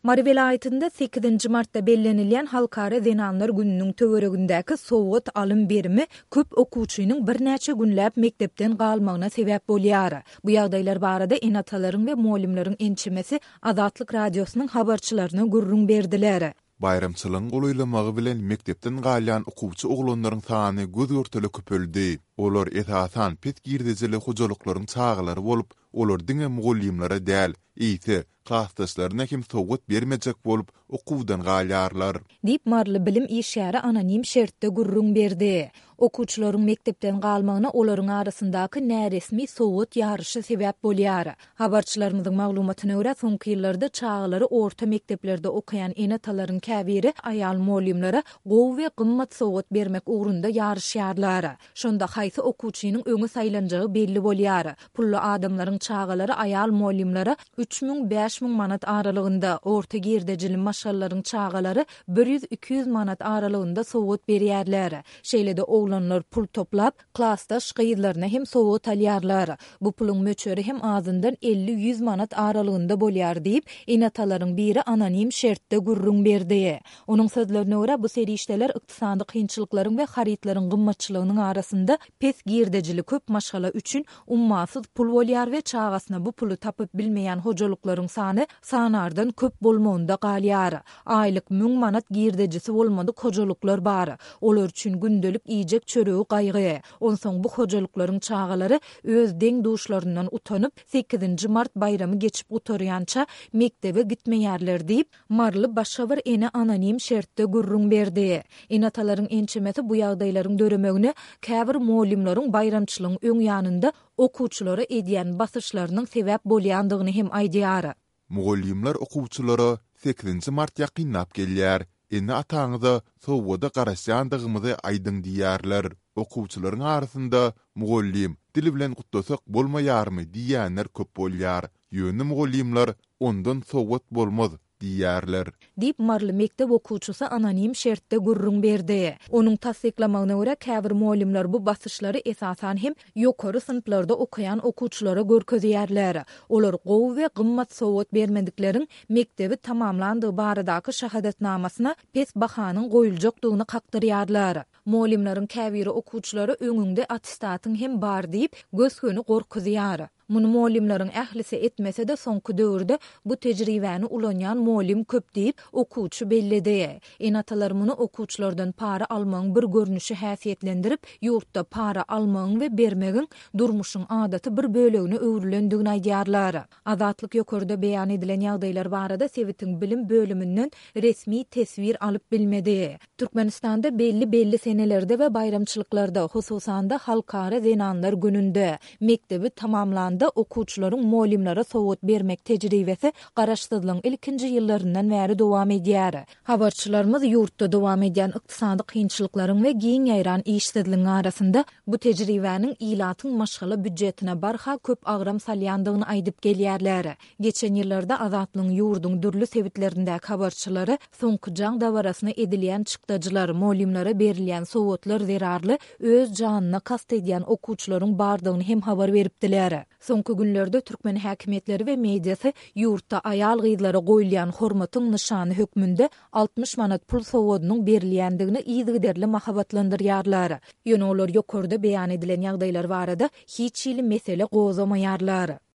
Mary welaýatynda sekizinji martda bellenilýän Halkara zenanlar gününiň töweregindäki sowgat alym-berimi köp okuwçynyň birnäçe günläp mekdepden galmagyna sebäp bolýar. Bu ýagdaýlar barada ene-atalaryň we mugallymlaryň ençemesi Azatlyk Radiosynyň habarçylaryna gürrüň berdiler. Baýramçylygyň golaýlamagy bilen mekdepden galýan okuwçy oglanlaryň sany göz-görtele köpeldi. Olar esasan pes girdejili hojalyklaryň çagalary bolup, olar diňe mugallymlara däl, eýse, klasdaşlaryna hem sowgat bermejek bolup, okuwdan galýarlar. Diýip, maryly bilim işgäri anonim şertde gürrüň berdi. Okuwçylaryň mekdepden galmagyna olaryň arasyndaky näresmi sowgat ýaryşy sebäp bolýar. Habarçylarymyzyň maglumatyna görä, soňky ýyllarda çagalary orta mekdeplerde okaýan ene-atalaryň käbiri aýal mugallymlara gowy we gymmat sowgat bermek ugrunda ýaryşýarlar. Şonda haýsy okuwçynyň öňe saýlanjagy belli bolýar. Pully adamlaryň çagalary aýal mugallymlara 3000, 5000 manat aralygynda, orta girdejili maşgalalaryň çagalary bir ýüz-iki ýüz manat aralygynda sowgat berýärler. Şeýle-de oglanlar pul toplap, klasdaş gyzlaryna hem sowgat alýarlar. Bu puluň möçberi hem azyndan elli-ýüz manat aralygynda bolýar diýip, ene-atalaryň biri anonim şertde gürrüň berdi. Onuň sözlerine görä, bu serişdeler ykdysady kynçylyklaryň we harytlaryň gymmatçylygynyň arasynda pes girdejili köp maşgala üçin ummasyz pul bolýar we çagasyna bu puly tapyp bilmeýän hojalyklaryň sany sanardan köp bolmagynda galýar. Aýlyk müň manat girdejisi bolmadyk hojalyklar bar. Olar üçin gündelik iýjek çöregi gaýgy. Onsoň bu hojalyklaryň çagalary öz deň-duşlaryndan utanyp, sekizinji mart baýramy geçip gutarýança mekdebe gitmeýärler diýip, Maryly başga bir ene anonim şertde gürrüň berdi. Ene-atalaryň ençemesi bu ýagdaýlaryň döremegine käbir mugallymlaryň baýramçylygyň öň ýanynda okuwçylara edýän basyşlarynyň sebäp bolýandygyny hem aýdýar. Mugallymlar okuwçylara sekizinji mart ýakynlap gelýär, ene-ataňyza sowgada garaşýandygymyzy aýdyň diýýärler. Okuwçylaryň arasynda Mugallym, dil bilen gutlasak bolmaýarmy diýýänler köp bolýar. Ýöne mugallymlar Ondan sowgat bolmaz diýýärler. Diýip, maryly mekdep okuwçysy anonim şertde gürrüň berdi. Onuň tassyklamagyna görä, käbir mugallymlar bu basyşlary esasan hem ýokary synplarda okaýan okuwçylara görkezýärler. Olar gowy we gymmat sowgat bermedikleriň mekdebi tamamlandygy baradaky şahadatnamasyna pes bahanyň goýuljakdygyny kakdyrýarlar. Mugallymlaryň käbiri okuwçylara öňüňde attestatyň hem bar diýip, gös-göni gorkuzýar. Muny mugallymlaryň ählisi etmese-de, soňky döwürde bu tejribäni ulanýan mugallym köp diýip, okuwçy belledi. Ene-atalar muny okuwçylardan para almagyň bir görnüşi häsiýetlendirip, ýurtda para almagyň we bermegiň durmuşyň adaty bir bölegine öwrülendigini aýdýarlar. Azatlyk ýokarda beýan edilen ýagdaýlar barada sebitiň bilim bölüminden resmi teswir alyp bilmedi. Türkmenistanda belli-belli senelerde we baýramçylyklarda, hususan-da, Halkara zenanlar gününde, mekdebi tamamlanda okuwçylaryň mugallymlara sowgat bermek tejribesi garaşsyzlygyň ilkinji ýyllaryndan bäri dowam edýär. Habarçylarymyz ýurtda dowam edýän ykdysady kynçylyklaryň we giň ýaýran işsizligiň arasynda bu tejribäniň ilatyň maşgala býudjetine barha köp agram salýandygyny aýdyp gelýärler. Geçen ýyllarda Azatlygyň ýurduň dürli sebitlerindäki habarçylary soňky jaň dabarasyna edilýän çykdajylar, mugallymlara berilýän sowgatlar zerarly öz janyna kast edýän okuwçylaryň bardygyny hem habar beripdiler. Soňky günlerde türkmen häkimiýetleri we mediasy ýurtda aýal-gyzlara goýulýan hormatyň nyşany hökmünde 60 manat pul sowgadynyň berilýändigini yzygiderli mahabatlandyrýarlar. Ýöne olar ýokarda beýan edilen ýagdaýlar barada hiç hili mesele gozgamaýarlar.